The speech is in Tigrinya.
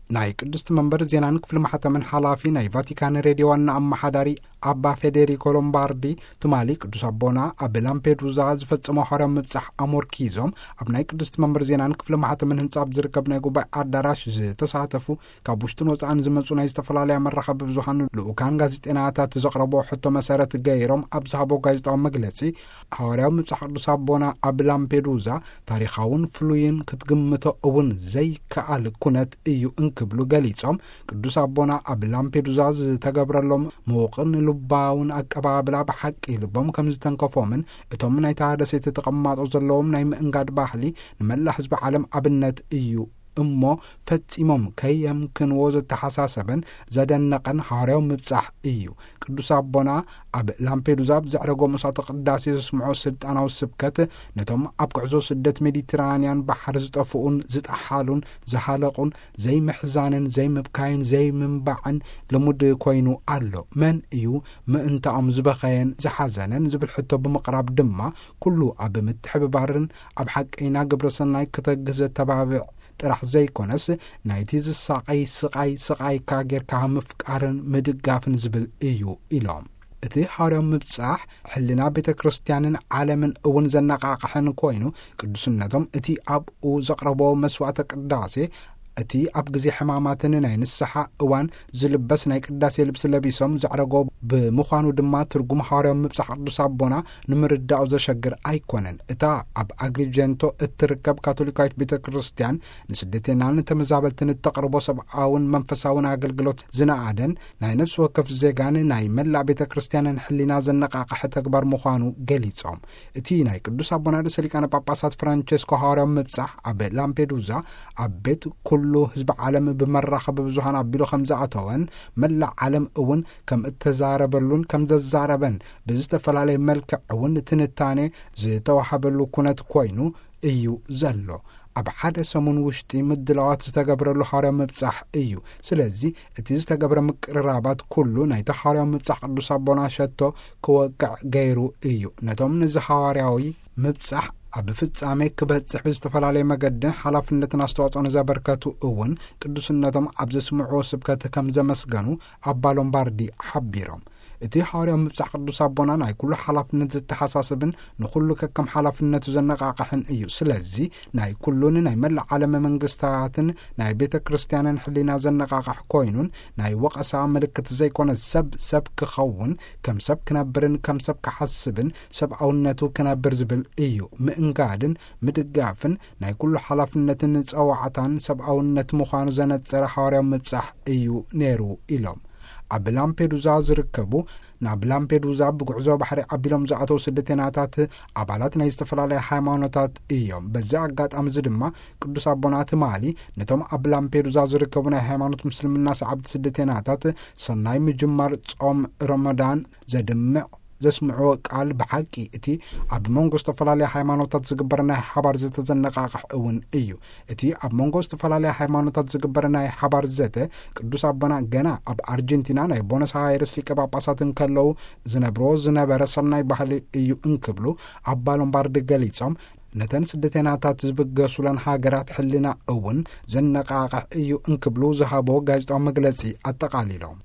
ናይ ቅድስቲ መንበር ዜናን ክፍሊ ማሕተምን ሓላፊ ናይ ቫቲካን ሬድዮ ዋና ኣመሓዳሪ ኣባ ፌዴሪኮ ሎምባርዲ፣ ትማሊ ቅዱስ ኣቦና ኣብ ላምፔዱዛ ዝፈጸሞ ሐዋርያዊ ምብጻሕ ኣሞርኪዞም፣ ኣብ ናይ ቅድስቲ መንበር ዜናን ክፍሊ ማሕተምን ህንጻ ኣብ ዝርከብ ናይ ጉባኤ ኣዳራሽ ዝተሳተፉ ካብ ውሽጥን ወጻእን ዝመጹ ናይ ዝተፈላለያ መራኸቢ ብዙሃን ልኡካን ጋዜጠናታት ዘቕረቦ ሕቶ መሰረት ገይሮም ኣብ ዝሃቦ ጋዜጣዊ መግለጺ፣ ሐዋርያዊ ምብጻሕ ቅዱስ ኣቦና ኣብ ላምፔዱዛ ታሪኻውን ፍሉይን ክትግምቶ እውን ዘይከኣል ኩነት እዩ እንክብሉ ገሊጾም፣ ቅዱስ ኣቦና ኣብ ላምፔዱዛ ዝተገብረሎም ምዉቕን ልባውን ኣቀባብላ ብሓቂ ልቦም ከም ዝተንከፎምን እቶም ናይታ ደሴት ተቐማጦ ዘለዎም ናይ ምእንጋድ ባህሊ ንመላእ ህዝቢ ዓለም ኣብነት እዩ እሞ ፈጺሞም ከየምክንዎ ዘተሓሳሰበን ዘደነቐን ሐዋርያዊ ምብጻሕ እዩ። ቅዱስ ኣቦና ኣብ ላምፔዱዛ ኣብ ዘዕረጎ መስዋዕተ ቅዳሴ ዘስምዖ ስልጣናዊ ስብከት ነቶም ኣብ ጉዕዞ ስደት ሜዲትራንያን ባሕሪ ዝጠፍኡን ዝጠሓሉን ዝሃለቑን ዘይምሕዛንን ዘይምብካይን ዘይምንባዕን ልሙድ ኮይኑ ኣሎ። መን እዩ ምእንታኦም ዝበኸየን ዝሓዘነን ዝብል ሕቶ ብምቕራብ ድማ ኩሉ ኣብ ምትሕብባርን ኣብ ሓቀይና ግብረ ሰናይ ክተግህ ዘተባብዕ ጥራሕ ዘይኮነስ ናይቲ ዝሳቐይ ስቓይ ስቓይካ ጌርካ ምፍቃርን ምድጋፍን ዝብል እዩ ኢሎም። እቲ ሐዋርያዊ ምብጻሕ ሕልና ቤተ ክርስቲያንን ዓለምን እውን ዘነቓቕሐን ኮይኑ ቅዱስነቶም እቲ ኣብኡ ዘቕረቦ መስዋዕተ ቅዳሴ እቲ ኣብ ግዜ ሕማማትን ናይ ንስሓ እዋን ዝልበስ ናይ ቅዳሴ ልብሲ ለቢሶም ዘዕረጎ ብምዃኑ ድማ ትርጉም ሐዋርያዊ ምብጻሕ ቅዱስ ኣቦና ንምርዳኡ ዘሸግር ኣይኮነን። እታ ኣብ ኣግሪጀንቶ እትርከብ ካቶሊካዊት ቤተ ክርስቲያን ንስደተናን ተመዛበልትን እተቕርቦ ሰብኣውን መንፈሳውን ኣገልግሎት ዝነኣደን ናይ ነፍሲ ወከፍ ዜጋን ናይ መላእ ቤተ ክርስቲያንን ሕሊና ዘነቓቕሐ ተግባር ምዃኑ ገሊጾም። እቲ ናይ ቅዱስ ኣቦና ርእሰ ሊቃነ ጳጳሳት ፍራንቸስኮ ሐዋርያዊ ምብጻሕ ኣብ ላምፔዱዛ ኣብ ቤት ኩሉ ህዝቢ ዓለም ብመራኸቢ ብዙሃን ኣቢሉ ከም ዝኣተወን መላእ ዓለም እውን ከም እተዛረበሉን ከም ዘዛረበን ብዝተፈላለየ መልክዕ እውን ትንታኔ ዝተዋሃበሉ ኩነት ኮይኑ እዩ ዘሎ። ኣብ ሓደ ሰሙን ውሽጢ ምድላዋት ዝተገብረሉ ሐዋርያዊ ምብጻሕ እዩ። ስለዚ እቲ ዝተገብረ ምቅርራባት ኩሉ ናይቲ ሐዋርያዊ ምብጻሕ ቅዱስ ኣቦና ሸቶ ክወቅዕ ገይሩ እዩ። ነቶም ነዚ ሐዋርያዊ ምብጻሕ ኣብ ፍጻሜ ክበጽሕ ብዝተፈላለየ መገድን ሓላፍነትን ኣስተዋጽኦ ንዘበርከቱ እውን ቅዱስነቶም ኣብ ዘስምዕዎ ስብከት ከም ዘመስገኑ ኣባ ሎምባርዲ ሓቢሮም። እቲ ሐዋርያዊ ምብጻሕ ቅዱስ ኣቦና ናይ ኩሉ ሓላፍነት ዘተሓሳስብን ንኹሉ ከከም ሓላፍነቱ ዘነቓቕሕን እዩ። ስለዚ ናይ ኩሉን ናይ መላእ ዓለም መንግስታትን ናይ ቤተ ክርስቲያንን ሕሊና ዘነቓቕሕ ኮይኑን ናይ ወቐሳ ምልክት ዘይኮነ ሰብ ሰብ ክኸውን ከም ሰብ ክነብርን ከም ሰብ ክሓስብን ሰብኣውነቱ ክነብር ዝብል እዩ። ምእንጋድን ምድጋፍን ናይ ኩሉ ሓላፍነትን ጸዋዕታን ሰብኣውነት ምዃኑ ዘነጸረ ሐዋርያዊ ምብጻሕ እዩ ነይሩ ኢሎም። ኣብ ላምፔዱዛ ዝርከቡ ናብ ላምፔዱዛ ብጉዕዞ ባሕሪ ኣቢሎም ዝኣተዉ ስደተናታት ኣባላት ናይ ዝተፈላለያ ሃይማኖታት እዮም። በዚ ኣጋጣሚ እዚ ድማ ቅዱስ ኣቦና ትማሊ ነቶም ኣብ ላምፔዱዛ ዝርከቡ ናይ ሃይማኖት ምስልምና ሰዓብቲ ስደተናታት ሰናይ ምጅማር ጾም ረመዳን ዘድምዕ ዘስምዕዎ ቃል ብሓቂ እቲ ኣብ መንጎ ዝተፈላለያ ሃይማኖታት ዝግበር ናይ ሓባር ዘተዘነቃቕሕ እውን እዩ። እቲ ኣብ መንጎ ዝተፈላለያ ሃይማኖታት ዝግበር ናይ ሓባር ዘተ ቅዱስ ኣቦና ገና ኣብ ኣርጀንቲና ናይ ቦነስ ኣይረስ ሊቀ ጳጳሳት እንከለዉ ዝነብርዎ ዝነበረ ሰናይ ባህሊ እዩ እንክብሉ ኣባ ሎምባርዲ ገሊጾም፣ ነተን ስደተናታት ዝብገሱለን ሃገራት ሕልና እውን ዘነቃቕሕ እዩ እንክብሉ ዝሃቦ ጋዜጣዊ መግለጺ ኣጠቓሊሎም።